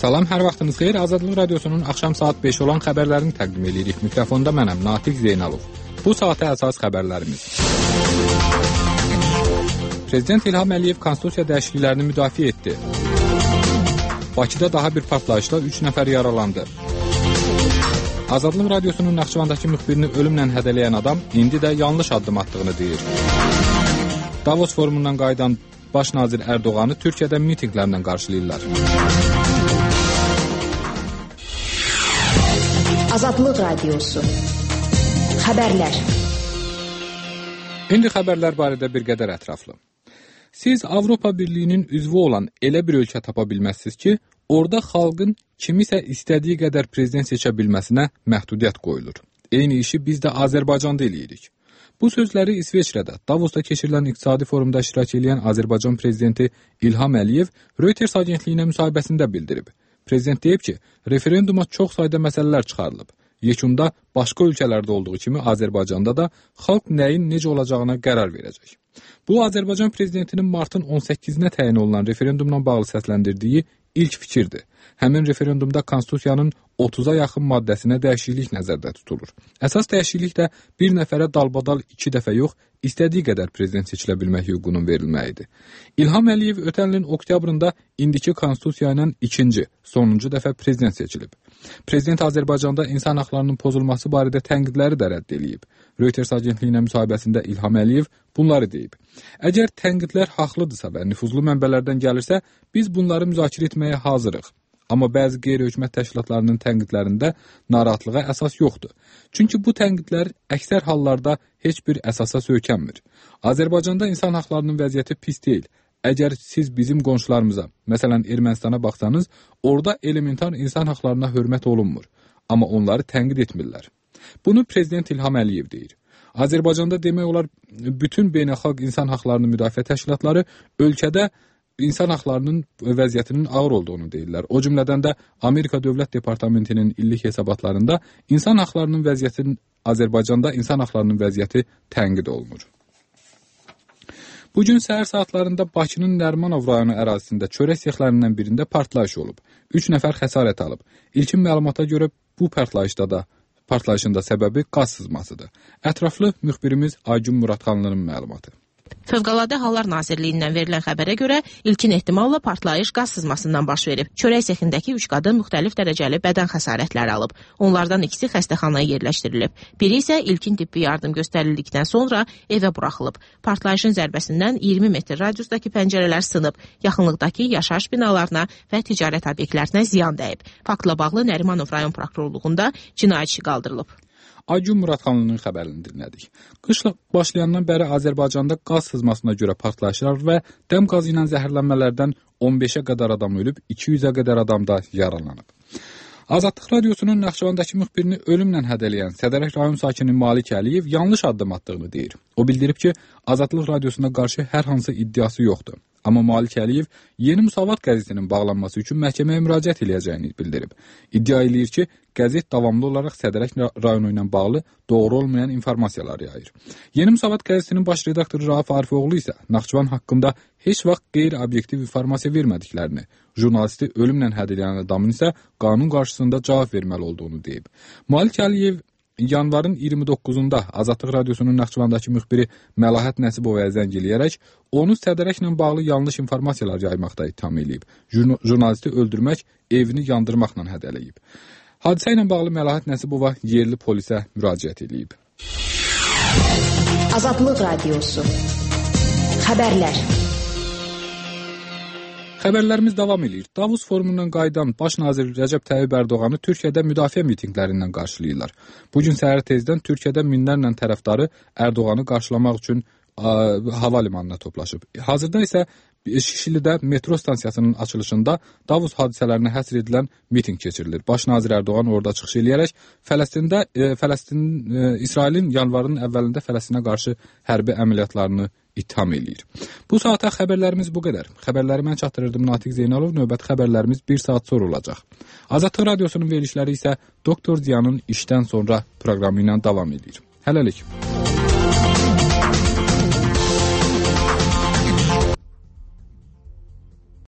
Salam, hər vaxtınız xeyir. Azadlıq Radiosunun axşam saat 5 olan xəbərlərini təqdim edirik. Mikrofonda mənəm, Natiq Zeynalov. Bu saata əsas xəbərlərimiz. Prezident İlham Əliyev konstitusiya dəyişikliklərini müdafiə etdi. Bakıda daha bir partlayışla 3 nəfər yaralandı. Azadlıq Radiosunun Naxçıvandakı müxbirini ölümlə hədələyən adam indi də yanlış addım atdığını deyir. Davos forumundan qayıdan Baş nazir Ərdoğanı Türkiyədə mitinqlərlə qarşılayırlar. Azadlıq Radiosu. Xəbərlər. İndi xəbərlər barədə bir qədər ətraflı. Siz Avropa Birliyinin üzvü olan elə bir ölkə tapa bilməzsiniz ki, orada xalqın kimisə istədiyi qədər prezident seçə bilməsinə məhdudiyyət qoyulur. Eyni işi biz də Azərbaycanda eləyirik. Bu sözləri İsveçrədə, Davosda keçirilən iqtisadi forumda iştirak edən Azərbaycan prezidenti İlham Əliyev Reuters agentliyinə müsahibəsində bildirib. Prezident deyib ki, referenduma çox sayda məsələlər çıxarılıb. Yekunda başqa ölkələrdə olduğu kimi Azərbaycanda da xalq nəyin necə olacağına qərar verəcək. Bu, Azərbaycan prezidentinin martın 18-nə təyin olunan referendumla bağlı səsləndirdiyi ilk fikirdir. Həmin referendumda konstitusiyanın 30-a yaxın maddəsinə dəyişiklik nəzərdə tutulur. Əsas dəyişiklik də bir nəfərə dalbadal 2 dəfə yox, istədiyi qədər prezident seçilə bilmək hüququnun verilməyidir. İlham Əliyev ötən ilin oktyabrında indiki konstitusiya ilə sonuncu dəfə prezident seçilib. Prezident Azərbaycanda insan haqlarının pozulması barədə tənqidləri də rədd edib. Reuters agentliyinə müsahibəsində İlham Əliyev bunları deyib. Əgər tənqidlər haqlıdırsa və nüfuzlu mənbələrdən gəlirsə, biz bunları müzakirə etməyə hazırıq. Amma bəzi qeyri-hökumət təşkilatlarının tənqidlərində narahatlığa əsas yoxdur. Çünki bu tənqidlər əksər hallarda heç bir əsasa söykənmir. Azərbaycanda insan haqlarının vəziyyəti pis deyil. Əgər siz bizim qonşularımıza, məsələn Ermənistana baxsanız, orada elementar insan haqlarına hörmət olunmur. Amma onları tənqid etmirlər. Bunu Prezident İlham Əliyev deyir. Azərbaycanda demək olar bütün beynəlxalq insan haqlarını müdafiə təşkilatları ölkədə insan haqlarının vəziyyətinin ağır olduğunu deyirlər. O cümlədən də Amerika Dövlət Departamentinin illik hesabatlarında insan haqlarının vəziyyətinin Azərbaycanda insan haqlarının vəziyyəti tənqid olunur. Bugün səhər saatlarında Bakının Nərimanov rayonu ərazisində çörək sexlərindən birində partlayış olub. 3 nəfər xəsarət alıb. İlkin məlumata görə bu partlayışın da səbəbi qaz sızmasıdır. Ətraflı müxbirimiz Aygün Muradxanlının məlumatı. Fövqəladə Hallar Nazirliyindən verilən xəbərə görə ilkin ehtimalla partlayış qaz sızmasından baş verib. Çörək sexindəki 3 qadın müxtəlif dərəcəli bədən xəsarətləri alıb. Onlardan ikisi xəstəxanaya yerləşdirilib. Biri isə ilkin tibbi yardım göstərildikdən sonra evə buraxılıb. Partlayışın zərbəsindən 20 metr radiusdakı pəncərələr sınıb. Yaxınlıqdakı yaşayış binalarına və ticarət obyektlərinə ziyan dəyib. Faktla bağlı Nərimanov rayon prokurorluğunda cinayət işi qaldırılıb. Aygün Muradxanlının xəbərini dinlədik. Qışla başlayandan bəri Azərbaycanda qaz sızmasına görə partlayışlar və dəm qazı ilə zəhərlənmələrdən 15-ə qədər adam ölüb, 200-ə qədər adam da yaralanıb. Azadlıq Radiosunun Naxçıvandakı müxbirini ölümlə hədələyən Sədərək rayon sakini Malik Əliyev yanlış addım atdığını deyir. O bildirib ki, Azadlıq Radiosuna qarşı hər hansı iddiası yoxdur. Amma Malik Əliyev Yeni Müsavat qəzetinin bağlanması üçün məhkəməyə müraciət edəcəyini bildirib. İddia edir ki, qəzet davamlı olaraq Sədərək rayonu ilə bağlı doğru olmayan informasiyalar yayır. Yeni Müsavat qəzetinin baş redaktoru Rauf Arifoğlu isə Naxçıvan haqqında heç vaxt qeyri-obyektiv informasiya vermədiklərini, jurnalisti ölümlə hədələyən adamın isə qanun qarşısında cavab verməli olduğunu deyib. Malik Əliyev yanvarın 29-unda Azadlıq Radiosunun Naxçıvandakı müxbiri Məlahət Nəsibovaya zəng eləyərək onu Sədərəklə bağlı yanlış informasiyalar yaymaqda ittiham edib. Jurnalisti öldürmək, evini yandırmaqla hədələyib. Hadisə ilə bağlı Məlahət Nəsibova yerli polisə müraciət edib. Azadlıq Radiosu. Xəbərlər. Xəbərlərimiz davam edir. Davos forumundan qayıdan Baş nazir Rəcəb Tayyib Ərdoğanı Türkiyədə müdafiə mitinqlərindən qarşılayırlar. Bugün səhər tezdən Türkiyədə minlərlə tərəfdarı Ərdoğanı qarşılamaq üçün hava limanına toplaşıb. Hazırda isə Şişlidə metro stansiyasının açılışında Davos hadisələrinə həsr edilən mitinq keçirilir. Baş nazir Ərdoğan orada çıxış eləyərək İsrailin yanvarın əvvəlində Fələstinə qarşı hərbi əməliyyatlarını ittiham eləyir. Bu saata xəbərlərimiz bu qədər. Xəbərləri mən çatdırırdım Natiq Zeynalov. Növbəti xəbərlərimiz 1 saat sonra olacaq. Azadlıq Radiosunun verilişləri isə Doktor Ziyanın işdən sonra proqramı ilə davam edir. Hələlik.